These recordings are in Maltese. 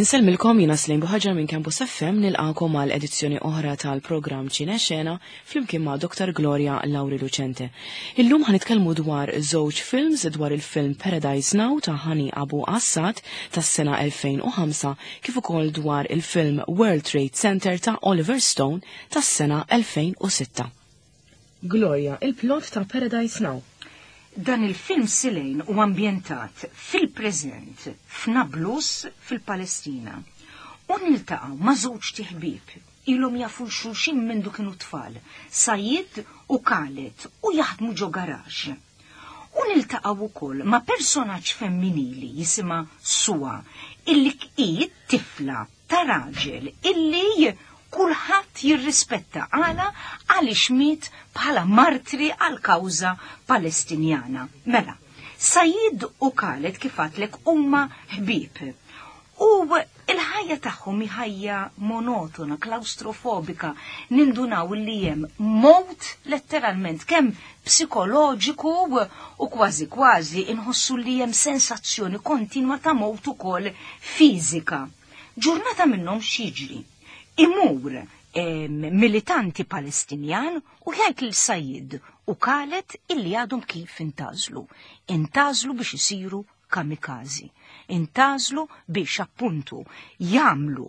Insellmilkom jiena Slejn Buħaġar minn Campus FM nilqakom għal edizzjoni oħra tal-programm Ċine Xena flimkien ma' Dr. Gloria Lauri Lucente. Illum ħanitkellmu dwar żewġ films dwar il-film Paradise Now ta' Hani Abu Assad tas-sena 2005 kif ukoll dwar il-film World Trade Center ta' Oliver Stone tas-sena 2006. Gloria, il-plot ta' Paradise Now. Dan il-film Silejn u ambjentat fil-preżent f'Nablus fil-Palestina. U niltaqgħu ma' żewġ tiħbib ilhom jafu xulxin mindu kienu tfal, Sajid u Khaled u jaħdmu ġo garaxx. U niltaqgħu wkoll ma' personaġġ femminili jisimha Suwa illi hi tifla ta' raġel illi kulħadd jirrispetta għala għaliex miet bħala martri għal kawża Palestinjana. Mela, Sajid u Khaled kif għadlek huma ħbieb. U il-ħajja tagħhom hi ħajja monotona, klaustrofobika, nindunaw li hemm mowt letteralment kemm psikoloġiku u kważi kważi inħossu li hemm sensazzjoni kontinwa ta' mowt ukoll fiżika. Ġurnata minnhom x'jiġri? Imur militanti Palestinjan u jgħid lil Sajid u Khaled illi għadhom kif intażlu. Intażlu biex isiru kamikazi. Intażlu biex appuntu jagħmlu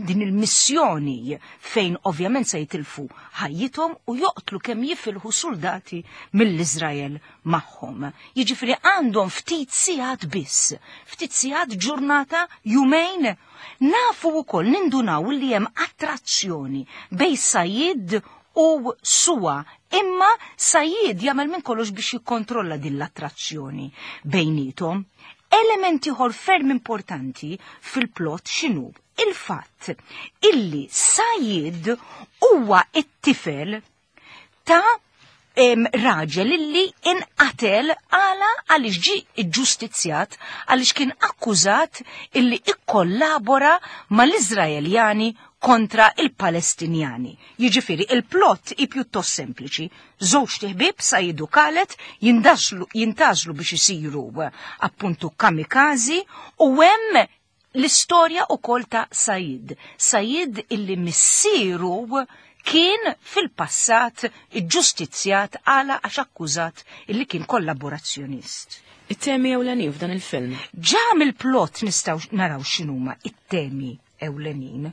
din il-missjoni fejn ovvjament se jitilfu ħajjithom u joqtlu kemm jifilħu soldati mill-Iżrael magħhom. Jiġifieri għandhom ftit sigħat biss, ftit sigħat ġurnata jumejn. Nafu wkoll nindunaw li hemm attrazzjoni bejn Sajid u Suwa, imma Sajid jagħmel minn kollox biex jikkontrolla din l-attrazzjoni bejnietom. Element ieħor ferm importanti fil-plot x'inhu? Il-fatt illi Sajid huwa it-tifel ta' raġel illi inqatel għala għaliex ġie ġġustizzjat għaliex kien akkużat illi ikkollabora mal-Iżraeljani kontra il-Palestinjani. Jiġifieri il-plot hi pjuttost sempliċi. Żewġ tiħbieb Sajid u Khaled jintażlu biex isiru appuntu kamikazi u hemm l-istorja ukoll ta' Sajid. Sajid illi missieru kien fil-passat iġġustizzjat għala għax akkużat illi kien kollaborazzjonist. It-temi ewlenin f'dan il-film. Ġa mill-plot nistgħu naraw x'inhuma it-temi ewlenin.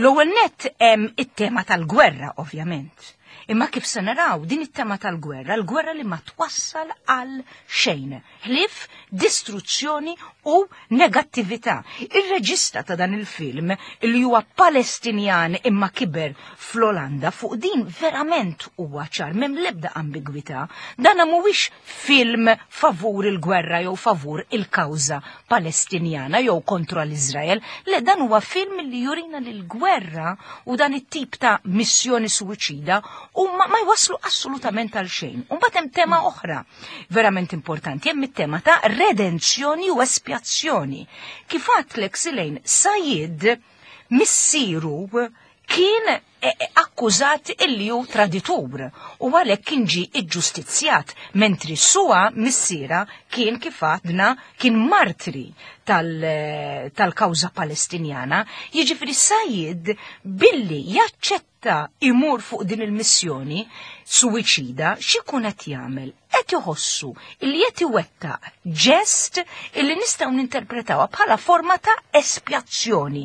L-ewwel nett hemm it-tema tal-gwerra ovvjament. Imma kif se naraw din it-tema tal-gwerra, l-gwerra li ma twassal għal xejn, ħlief distruzzjoni u negattività. Ir-reġista ta' dan il-film, li huwa Palestinjan imma kiber fl-Olanda, fuq din verament huwa ċar, m'hemm l-ebda ambigwità. Dan mhuwiex film favur il-gwerra jew favur il-kawża Palestinjana jew kontra l-Iżrael, le dan huwa film li jurina li l-gwerra u dan it-tip ta' missjoni suwiċida huma ma jwasslu assolutament għal xejn. U mbagħad hemm tema oħra verament importanti, hemm it-tema ta' redenzjoni u espjazzjoni. Kif għadtlek Silejn, Sajid missieru kien akkużat illi hu traditur u għalhekk kien ġie iġġustizzjat, mentri Suwa missiera kien kif għadna kien martri tal-kawża Palestinjana. Jiġifieri Sajid billi jaċċetta imur fuq din il-missjoni suwiċida, x'ikun qed jagħmel? Qed iħossu illi qed iwettaq ġest illi nistgħu ninterpretawha bħala forma ta' espjazzjoni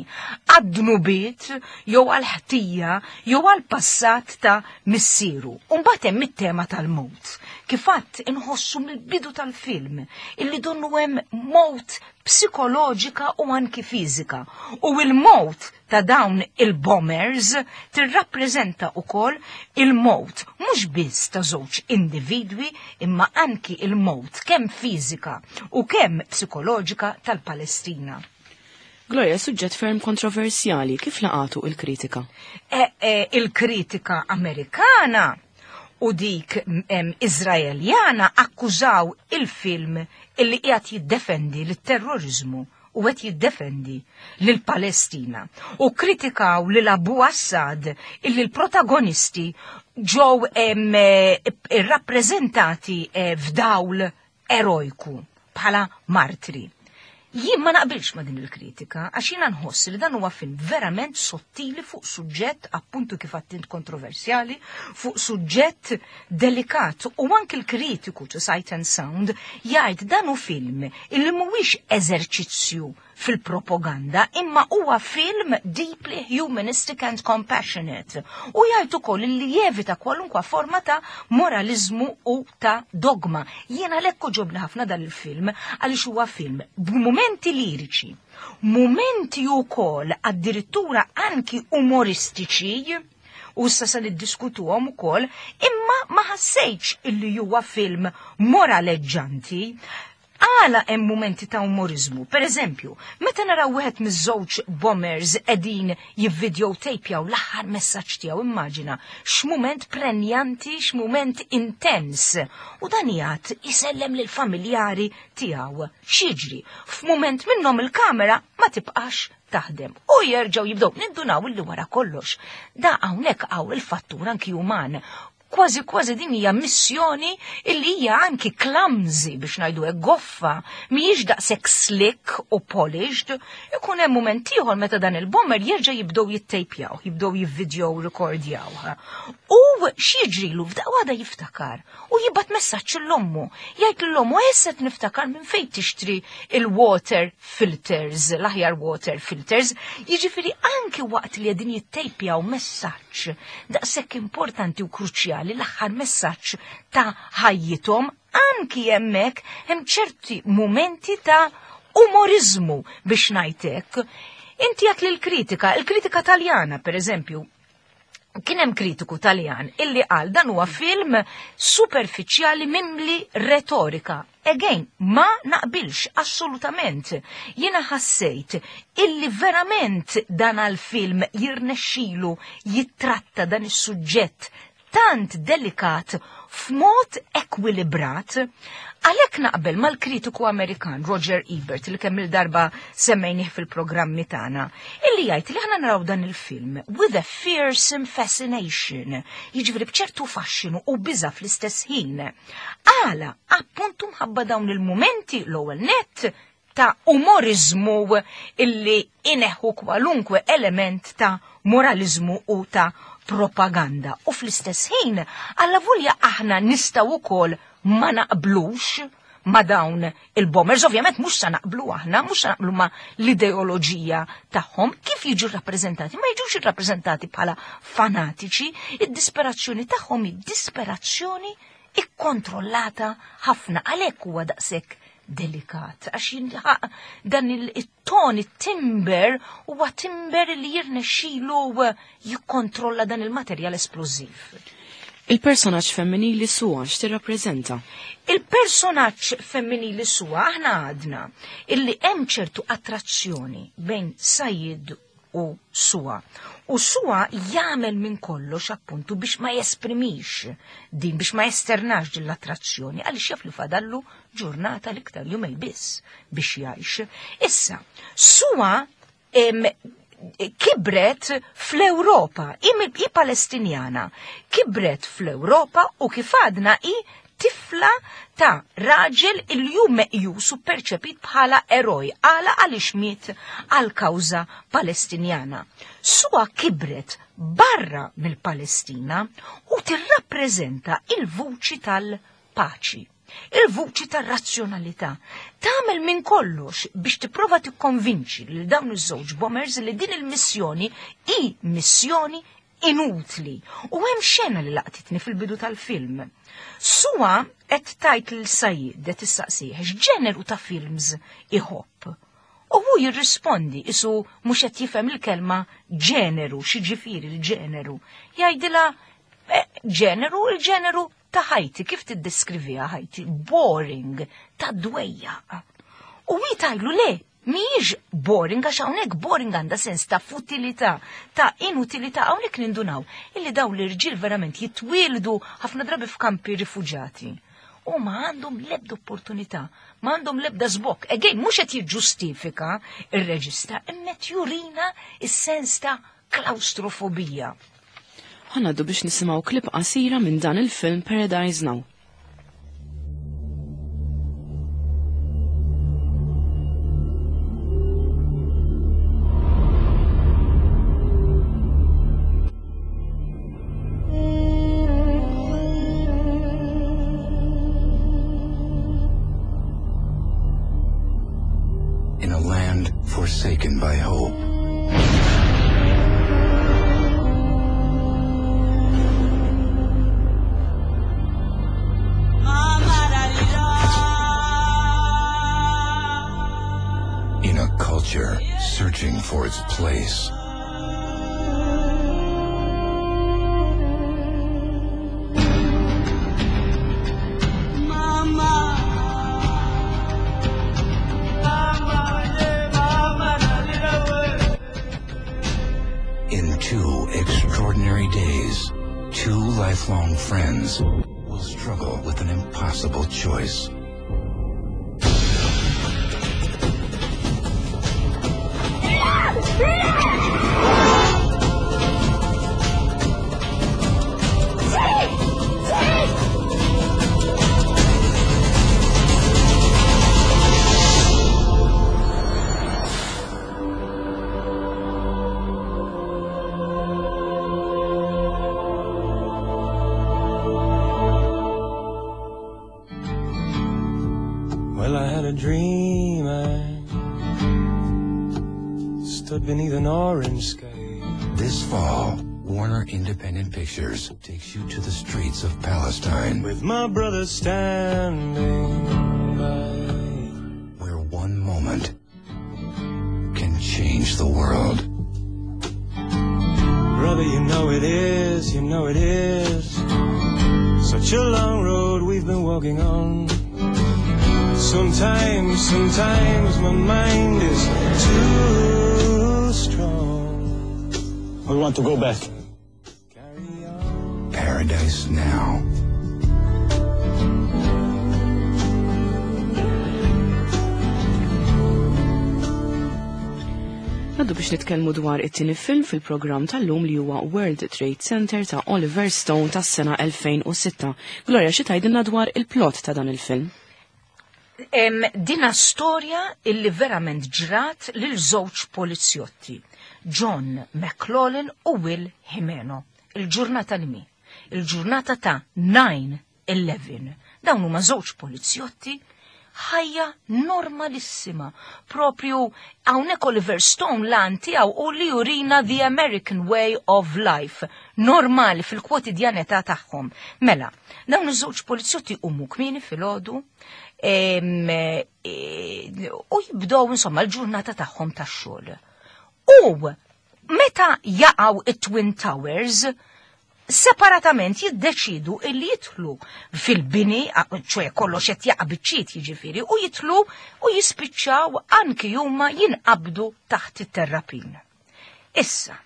għad-dnubiet jew għall-ħtija jew għall-passat ta' missieru. U mbagħad hemm it-tema tal-mewt. Kif għadt inħossu mill-bidu tal-film illi donnu hemm mewt psikoloġika u anki fiżika. U l-mewt ta' dawn il-bombers tirrappreżenta wkoll il-mewt mhux biss ta' żewġ individwi imma anki il-mewt kemm fiżika u kemm psikoloġika tal-Palestina. Gloria, suġġett ferm kontroversjali, kif laqatu il-kritika? Il-kritika Amerikana u dik Iżraeljana akkużaw il-film illi qiegħed jiddefendi lit-terroriżmu u qed jiddefendi lill-Palestina u kritikaw lil Abu Assad illi l-protagonisti ġew irrappreżentati f'dawl erojku bħala martri. Jien ma naqbilx ma' din il-kritika, għax jiena nħoss li dan huwa film verament sottili fuq suġġett appuntu kif għattint kontroversjali, fuq suġġett delikat u anki l-kritiku to Sight and Sound jgħid dan hu film illi mhuwiex eżerċizzju fil-propaganda imma huwa film deeply humanistic and compassionate u jgħid ukoll li jevita kwalunkwa forma ta' moralizmu u ta' dogma. Jiena għalhekk ġobni ħafna dan il-film għaliex huwa film b'mumenti liriċi, mumenti wkoll addirittura anki umoristiċi u issa se niddiskutuhom ukoll, imma ma ħassejtx illi huwa film moraleġġanti. Għala hemm mumenti ta' umorizmu. Per eżempju, meta naraw wieħed miż-żewġ bombers qegħdin jivvideotapjaw l-aħħar messaġġ tiegħu, immaġina x'mument prenjanti, x'mument intens. U dan jgħid isellem lill-familjari tiegħu. X'jiġri? F'mument minnhom il-kamera ma tibqax taħdem u jerġgħu jibdew nindunaw illi wara kollox. Da hawnhekk hawn il-fattur anki uman. Kważi kważi din hija missjoni illi hija anki clumsy biex ngħidu hekk goffa, mhijiex daqshekk slick u polished. Ikun hemm mument ieħor meta dan il-bomber jerġa' jibdew jittejpjaw, jibdew jivvidjow rekordjaw. U x'jiġrilu f'daqqa waħda jiftakar u jibgħat messaġġ l-ommu. Jgħid l-ommu issa niftakar minn fejn tixtri il-water filters, l-aħjar water filters. Jiġifieri anki waqt li qegħdin jittejpjaw messaġġ daqshekk importanti u kruċjali l-aħħar messaġġ ta' ħajjithom, anki hemmhekk hemm ċerti mumenti ta' umorizmu biex ngħidlek. Inti għat l-kritika, il-kritika Taljana per eżempju, kien hemm kritiku Taljan illi qal dan huwa film superfiċjali mimli retorika. Again, ma naqbilx assolutament. Jiena ħassejt illi verament dan għal-film jirnexxilu jittratta dan is-suġġett tant delikat f'mod ekwilibrat, għalhekk naqbel mal-kritiku Amerikan Roger Ebert li kemm il-darba semmejnih fil-programmi tagħna, illi jgħid li aħna naraw dan il-film with a fearsome fascination, jiġifieri b'ċertu faxxinu u biża fl-istess ħin. Għala, appuntu mħabba dawn il-mumenti l-ewwel net ta' umorizmu illi ineħħu kwalunkwe element ta' moralizmu u ta' propaganda. U fl-istess ħin, alla volja aħna nistgħu wkoll ma naqblux ma dawn il-bombers, ovvjament mhux sa naqblu aħna, mhux sa naqblu ma l-ideoloġija tagħhom, kif jiġu rappreżentati? Ma jiġux irrappreżentati bħala fanatiċi, id-disperazzjoni tagħhom hi disperazzjoni ikkontrollata ħafna, għalhekk huwa daqshekk delikat, għax jinħaq dan il-ton, il-timber, huwa timber li jirnexxilu jikkontrolla dan il-materjal esplożiv. Il-personaġġ femminili Suha x'tirrappreżenta? Il-personaġġ femminili Suha aħna għadna illi hemm ċertu attrazzjoni bejn Sayid u Suha. U Suha jagħmel minn kollox appuntu biex ma jesprimix din, biex ma jesternax din l-attrazzjoni, għaliex jaf li fadallu ġurnata l-iktar jumej biss biex jgħix. Issa, Suha kibret fl-Ewropa, i Palestinjana, kibret fl-Ewropa u kif għadna i tifla ta' raġel il-jum meqjus u perċepit bħala eroj, għala għaliex miet għal kawża Palestinjana. Suha kibret barra mill-Palestina u tirrappreżenta il-vuċi tal-paċi, il-vuċi tar-razzjonalità. Tagħmel minn kollox biex tipprova tikkonvinċi lil dawn iż-żewġ bombers li din il-missjoni hi missjoni inutli. U hemm xena li laqtitni fil-bidu tal-film. Suha qed tajt lil Sayid qed issaqsih x'ġeneru ta' films iħobb. U hu jirrispondi isu mhux qed jifhem il-kelma ġeneru, x'jiġifieri l-ġeneru. Jgħidilha ġeneru, il-ġeneru ta' ħajti, kif tiddeskriviha ħajti? Boring, ta' dwejja. U hi tajlu le, mhijiex boring, għax hawnhekk boring għandha sens ta' futilità, ta' inutilità, hawnhekk nindunaw illi dawn l-irġiel verament jitwieldu ħafna drabi f'kampi rifuġati. U ma għandhom lebda opportunità, ma għandhom lebda żbokk. Again, mhux qed jiġġustifika ir-reġista, imma qed jurina is-sens ta' klaustrofobija. Ħa ngħaddu biex nisimgħu klip qasira minn dan il-film Paradise Now. its place. In two extraordinary days, two lifelong friends will struggle with an impossible choice. Well, I had a dream. I stood beneath an orange sky. This fall, Warner Independent Pictures takes you to the streets of Palestine, With my brother standing by. where one moment can change the world. Brother, you know it is, you know it is. Such a long road we've been walking on. Sometimes, sometimes my mind is too strong. We want to go back. Carry on. Paradise Now. Naddu biex nitkellmu dwar it-tieni film fil-programm tal-lum li huwa World Trade Center ta' Oliver Stone tas-sena 2006. Gloria, xi tgħidilna dwar il-plot ta' dan il-film? Dina storja illi verament ġrat lil żewġ polizjotti, John McLaughlin u Will Jimeno. Il-ġurnata li mi? Il-ġurnata ta' 9-11. Dawn huma żewġ polizjotti ħajja normalissima. Propju hawnhekk Oliver Stone lan tiegħu u li jurina the American way of life, normali fil-kwotidjanità tagħhom. Mela, dawn iż-żewġ polizjotti huma kmieni filgħodu u jibdew insomma l-ġurnata tagħhom tax-xogħol. U meta jaqgħu it-Twin Towers, separatament jiddeċidu illi jidħlu fil-bini, ċoe kollox qed jaqa' biċċiet jiġifieri, u jidħlu u jispiċċaw anki huma jinqabdu taħt it-terrapin. Issa,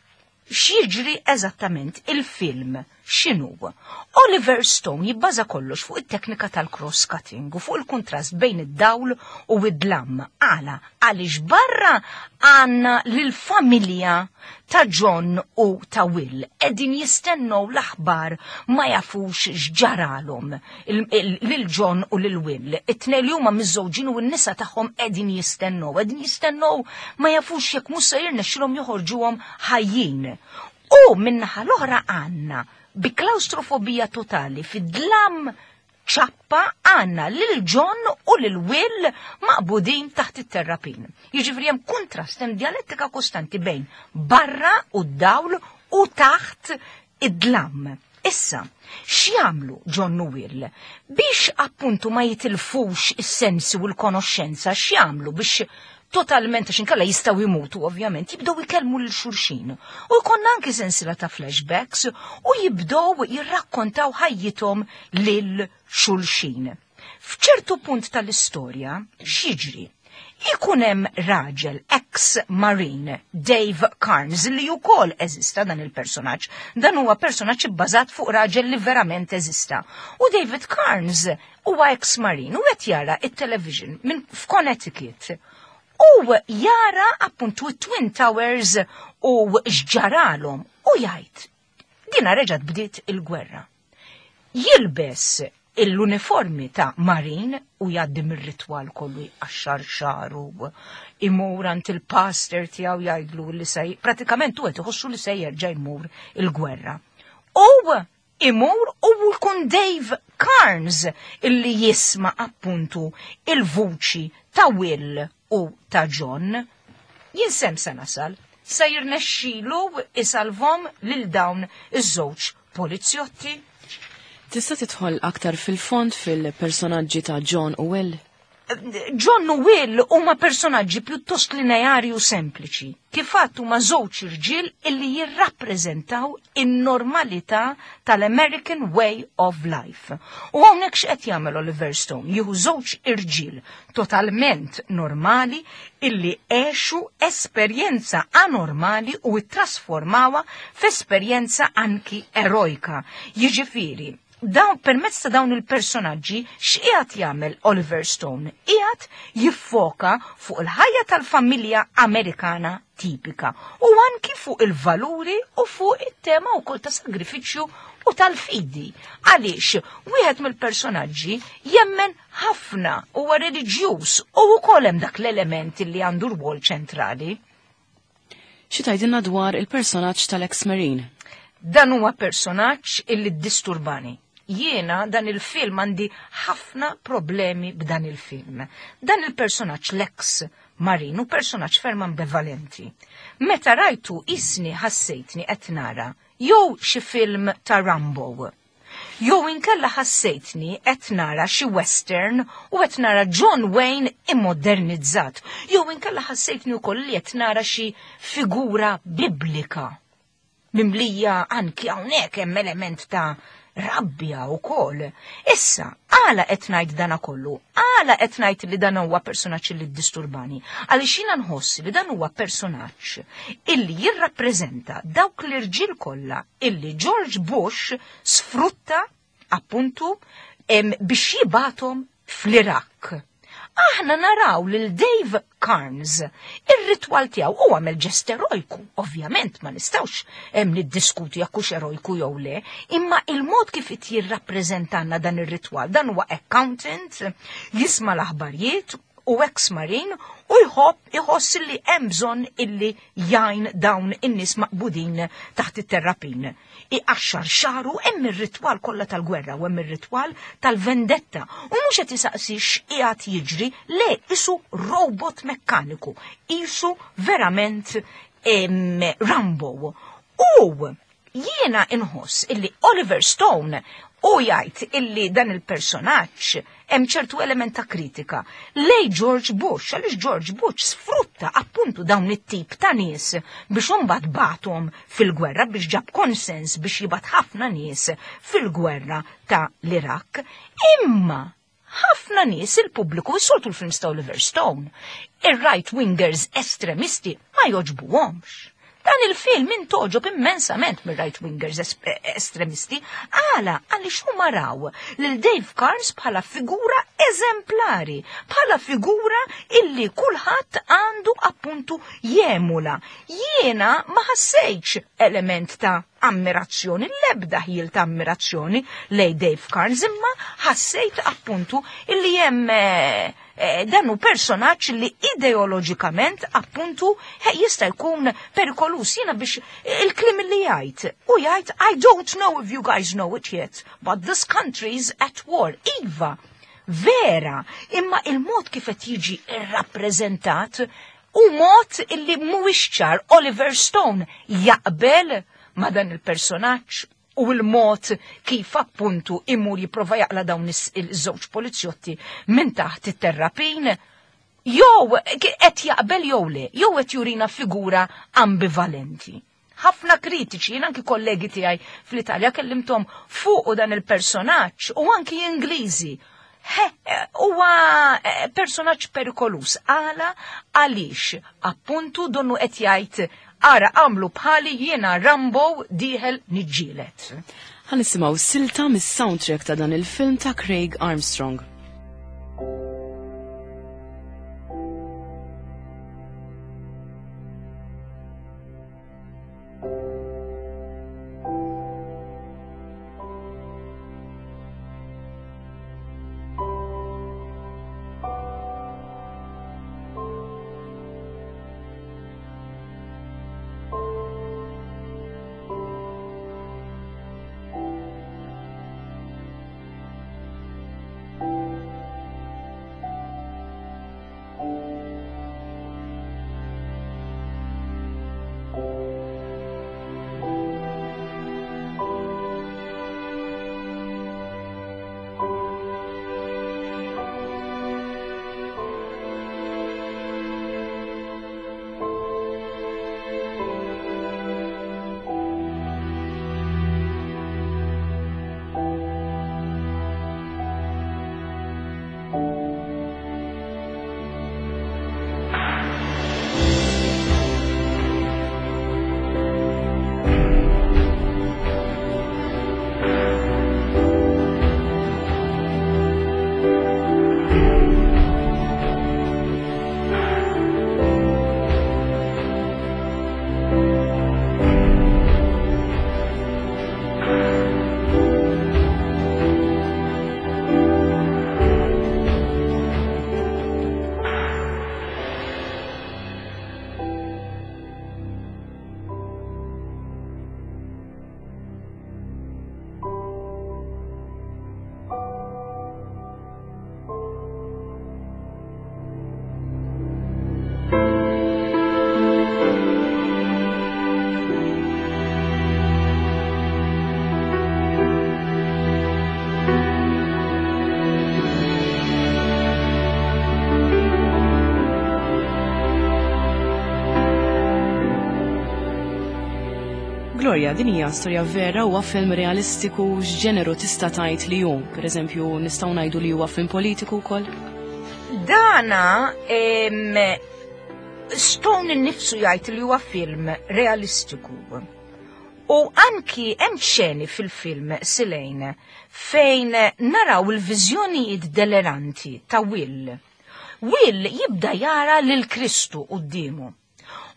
x'jiġri eżattament il-film x'inhu? Oliver Stone jibbaża kollox fuq it-teknika tal-cross-cutting u fuq il-kontrast bejn id-dawl u id-dlam. Għala, għaliex barra għandna lill-familja ta' John u ta' Will. Qegħdin jistennew l-aħbar ma jafux x'ġaralhom lil John u lil Will. It-tnejn li huma miżżewġin u n-nisa tagħhom qegħdin jistennew, qegħdin jistennew ma jafux jekk mhux se jirnexxilhom joħorġuhom ħajjin. U min-naħa l-oħra għandna bi klaustrofobija totali fid-dlam ċappa għandna lil John u lil Will maqbudin taħt it-terrapin. Jiġifieri hemm kontrast, hemm dialettika kostanti bejn barra u d-dawl u taħt id-dlam. Issa, x'jagħmlu John u Will biex appuntu ma jitilfux is-sensi u l-konoxxenza, x'jagħmlu biex totalment, għax inkella jistgħu jmutu ovvjament, jibdew ikellmu lil xulxin. U jkollna anki sensiela ta' flashbacks u jibdew jirrakkontaw ħajjithom lil xulxin. F'ċertu punt tal-istorja, x'jiġri? Ikun hemm raġel ex-marine, Dave Carnes, li wkoll eżista dan il-personaġġ. Dan huwa personaġġ ibbażat fuq raġel li verament eżista. U David Carnes huwa ex-marine u qed jara it-television minn f'Connecticut. U jara appuntu Twin Towers u x'ġaralhom u jgħid, dina reġgħet bdiet il-gwerra. Jilbes l-uniformi ta' Marine u jgħaddi mir-ritwal kollu jqaxxar xaru, imur għand il-pastor tiegħu jgħidlu li se pratikament hu qed iħossu li se jerġa' jmur il-gwerra. U imur u jkun Dave Carnes illi jisma' appuntu il-vuċi ta' Will u ta' John. Jinsem se nasal, se jirnexxilu isalvom lil dawn iż-żewġ polizjotti. Tista' tidħol aktar fil-fond fil-personaġġi ta' John u Will? John u Will huma personaġġi pjuttost lineari u sempliċi. Kif għadt huma żewġ irġiel illi jirrappreżentaw in-normalità tal-American Way of Life. U hawnhekk x'qed jagħmel Oliver Stone? Jieħu żewġ irġiel totalment normali illi għexu esperjenza anormali u ttrasformawha f'esperjenza anki erojka. Jiġifieri, dawn permezz ta' dawn il-personaġġi x'qiegħed jagħmel Oliver Stone? Qiegħed jiffoka fuq il-ħajja tal-familja Amerikana tipika u anki fuq il-valuri u fuq it-tema wkoll ta' sagrifiċċju u tal-fidi. Għaliex wieħed mill-personaġġi jemmen ħafna huwa reliġjuż u wkoll hemm dak l-element li għandu rwol ċentrali. Xi tgħidilna dwar il-personaġġ tal-ex Marine? Dan huwa personaġġ illi ddisturbani. Jiena dan il-film għandi ħafna problemi b'dan il-film. Dan il-personaġġ l-ex Marine hu personaġġ ferm ambivalenti. Meta rajtu isni ħassejtni qed nara jew xi film ta' Rambo, jew inkella ħassejtni qed nara xi western u qed nara John Wayne immodernizzat, jew inkella ħassejtni wkoll li qed nara xi figura biblika mimlija anki hawnhekk hemm element ta' rabbja wkoll. Issa, għala qed ngħid dana kollu? Għala qed ngħid li dan huwa personaġġ li ddisturbani? Għaliex jiena nħoss li dan huwa personaġġ illi jirrappreżenta dawk l-irġiel kollha illi George Bush sfrutta appuntu biex jibgħathom fl-Iraq. Aħna naraw lil Dave Carnes, ir-ritwal tiegħu u għamel ġest erojku, ovvjament ma nistgħux hemm niddiskuti jekk hux erojku jew le, imma il-mod kif qed jirrappreżentanna dan ir-ritwal, dan huwa accountant, jisma' l-aħbarijiet u ex-marine u jħobb iħoss li hemm bżonn illi jgħin dawn in-nies maqbudin taħt it-terrapin. Iqaxxar xaru hemm ir-ritwal kollha tal-gwerra u hemm ir-ritwal tal-vendetta. U mhux qed isaqsi x'qiegħed jiġri, le isu robot mekkaniku, isu verament Rambo. U jiena inħoss illi Oliver Stone u jgħid illi dan il-personaġġ hemm ċertu element ta' kritika lej George Bush, għaliex George Bush sfrutta appuntu dawn it-tip ta' nies biex imbagħad bagħathom fil-gwerra, biex ġab konsens biex jibgħat ħafna nies fil-gwerra ta' l-Iraq. Imma ħafna nies il-pubbliku jsoltu l-films ta' Oliver Stone, ir-right wingers estremisti ma joġbuhomx. Dan il-film intogħġob immensament mir-right wingers estremisti, għala għaliex huma raw lil Dave Carnes bħala figura eżemplari, bħala figura illi kulħadd għandu appuntu jemula. Jiena ma ħassejtx element ta' ammirazzjoni, l-ebda ħjiel ta' ammirazzjoni lej Dave Carnes, imma ħassejt appuntu illi hemm dan hu personaġġ li ideoloġikament appuntu jista' jkun perikolus. Jiena biex il-kliem li jgħid, u jgħid I don't know if you guys know it yet, but this country's at war. Iva, vera, imma il-mod kif qed jiġi irrappreżentat u mod illi mhuwiex ċar Oliver Stone jaqbel ma' dan il-personaġġ u l-mod kif appuntu imur jipprova jaqla dawn iż-żewġ polizjotti minn taħt it-terrapin, jew qed jaqbel jew le, jew qed jurina figura ambivalenti. Ħafna kritiċi, jien anki kollegi tiegħi fl-Italja kellimthom fuq dan il-personaġġ u anki Ingliżi. Huwa personaġġ perikolus. Għala għaliex appuntu donnu qed jgħid ara għamlu bħali jiena Rambo dieħel niġġielet. Ħa nisimgħu silta mis-soundtrack ta' dan il-film ta' Craig Armstrong. Gloria, din hija storja vera huwa film realistiku x'ġeneru tista' tgħid li hu? Pereżempju, nistgħu ngħidu li huwa film politiku wkoll? Dana Stone innifsu jgħid li huwa film realistiku. U anki hemm xeni fil-film Silejn fejn naraw il-viżjonijiet deleranti ta' Will. Will jibda jara lil Kristu quddiemu.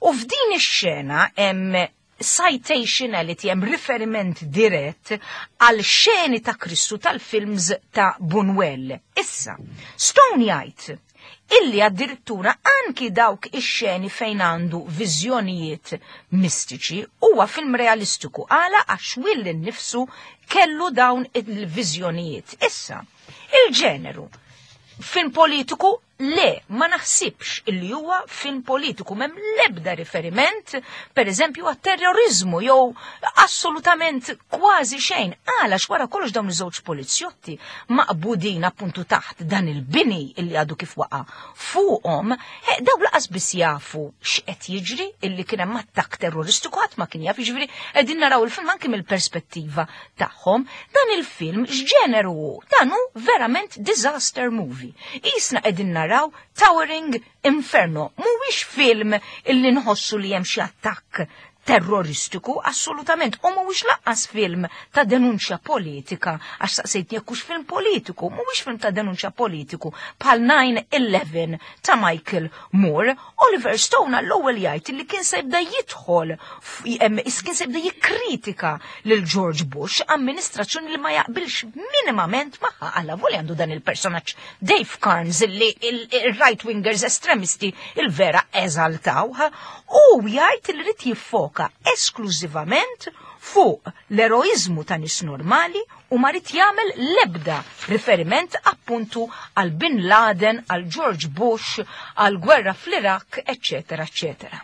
U f'din ix-xena hemm citationality, hemm riferiment dirett għal xeni ta' Kristu tal-films ta' Buñuel. Issa, Stone jgħid illi addirittura anki dawk ix-xeni fejn għandu viżjonijiet mistiċi huwa film realistiku għala għax Will innifsu kellu dawn il-viżjonijiet. Issa, il-ġeneru film politiku Le, ma naħsibx illi huwa film politiku, m'hemm l-ebda riferiment, per eżempju, għat-terrorizmu jew assolutament kważi xejn. Għala wara kollox dawn iż-żewġ polizjotti maqbudin appuntu taħt dan il-bini illi għadu kif waqa' fuqhom, daw laqas biss jafu x'qed jiġri illi kien hemm attakk terroristiku ħadd ma kien jaf, jiġifieri qegħdin naraw il-film anke mill-perspettiva tagħhom. Dan il-film x'ġeneru hu? Dan hu verament disaster movie. Isna qegħdin naraw Towering Inferno. Mhuwiex film illi nħossu li hemm xi attakk terroristiku, assolutament, u mhuwiex lanqas film ta' denunċja politika, għax saqsejtni jekk hux film politiku, mhuwiex film ta' denunċja politiku bħal 9/11 ta' Michael Moore. Oliver Stone għall-ewwel jgħid li kien se jibda jidħol, kien se jibda jikkritika lil George Bush, amministrazzjoni li ma jaqbilx minimament magħha, għalla voli għandu dan il-personaġġ Dave Carnes li il-right wingers estremisti il-vera eżaltawha, u jgħid li rid jiffoka esklużivament fuq l-eroizmu ta' nies normali u ma rid jagħmel l-ebda riferiment appuntu għal Bin Laden, għal George Bush, għal gwerra fl-Iraq, eccetera, eccetera.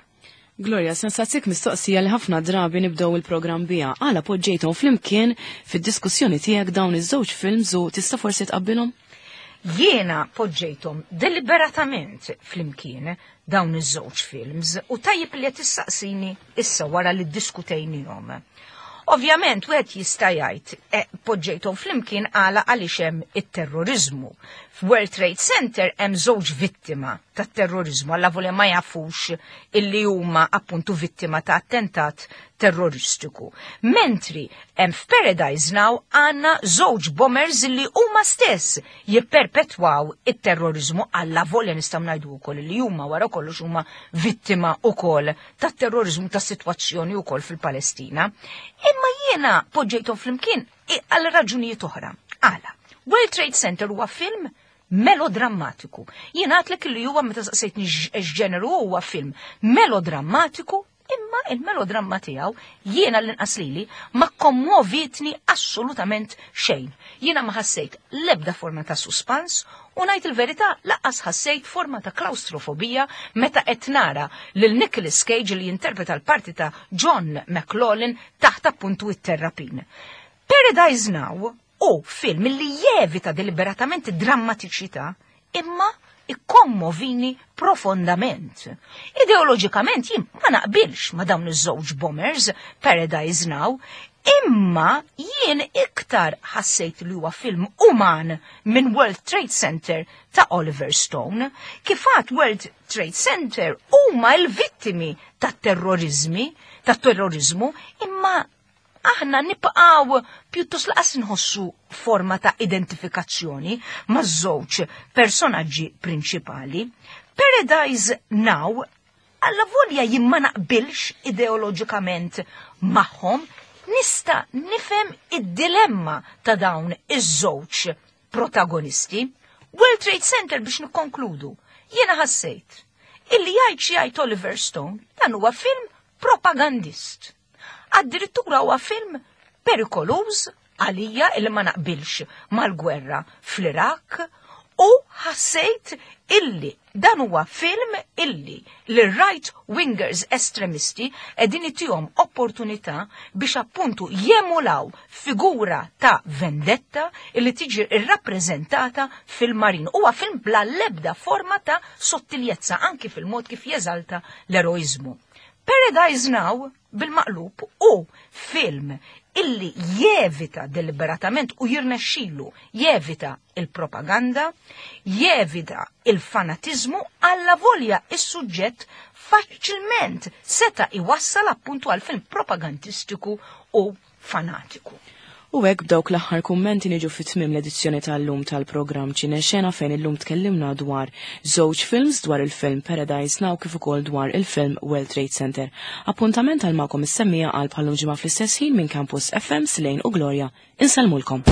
Gloria, sensaqsik mistoqsija li ħafna drabi nibdew il-programm biha. Għala poġġejthom flimkien fid-diskussjoni tiegħek dawn iż-żewġ films u tista' forsi tqabbilhom? Jiena poġġejthom deliberatament flimkien dawn iż-żewġ films u tajjeb li qed issaqsini issa wara li ddiskutejnihom. Ovvjament, wieħed jista' jgħid poġġejthom flimkien għala għaliex hemm it-terrorizmu. F'World Trade Center hemm żewġ vittima tat-terrorizmu, alla volja ma jafux illi huma appuntu vittima ta' attentat terroristiku. Mentri hemm f'Paradise Now għandna żewġ bombers illi huma stess jipperpetwaw it-terrorizmu, alla volja nistgħu ngħidu wkoll li huma wara kollox huma vittima wkoll tat-terrorizmu tas-sitwazzjoni wkoll fil-Palestina. Imma jiena poġġejthom flimkien għal raġunijiet oħra. Għala, World Trade Center huwa film melodrammatiku. Jiena għedtlek li huwa meta saqsejtni x'ġeneru huwa film melodrammatiku, imma il-melodramma tiegħu jiena l-inqas lili ma kommovitni assolutament xejn. Jiena ma ħassejt l-ebda forma ta' suspans u ngħid il-verità lanqas ħassejt forma ta' klaustrofobija meta qed nara lil Nicolas Cage li jinterpreta l-parti ta' John McLaughlin taħt appuntu it-terrapin. Paradise Now u film li jevita deliberatament drammatiċità imma ikkommovini profondament. Ideoloġikament jien ma naqbilx ma dawn iż-żewġ bombers Paradise Now, imma jien iktar ħassejt li huwa film uman minn World Trade Center ta' Oliver Stone. Kifat World Trade Center huma l-vittimi tat-terrorizmi, tat-terrorizmu, imma aħna nibqaw pjuttost laqas nħossu forma ta' identifikazzjoni ma' żewġ personaġġi prinċipali. Paradise Now, alla volja jien ma naqbilx ideoloġikament magħhom, nista' nifhem id-dilemma ta' dawn iż-żewġ protagonisti. World Trade Center biex nikkonkludu, jiena ħassejt illi jgħid xi jgħid Oliver Stone dan huwa film propagandist. Addirittura huwa film perikoluż għalija illi ma naqbilx mal-gwerra fl-Iraq u ħassejt illi dan huwa film illi l-right wingers estremisti qegħdin itihom opportunità biex appuntu jemulaw figura ta' vendetta illi tiġi irrappreżentata fil-marin. Huwa film bla lebda forma ta' sottiljezza anki fil-mod kif jeżalta l-eroizmu. Paradise Now bil-maqlub hu film illi jevita deliberatament u jirnexxilu jevita il-propaganda, jevita il-fanatizmu allavolja is-suġġett faċilment seta' iwassal appuntu għal film propagandistiku u fanatiku. U hekk b'dawk l-aħħar kummenti niġu fi tmiem l-edizzjoni tal-lum tal-programm Ċinexena fejn illum tkellimna dwar żewġ films dwar il-film Paradise Now kif ukoll dwar il-film World Trade Center. Appuntament għal magħkom is-semmiegħa għal bħal-lum ġimgħa fl-istess ħin minn Campus FM Slane u Gloria. Insellmulkom.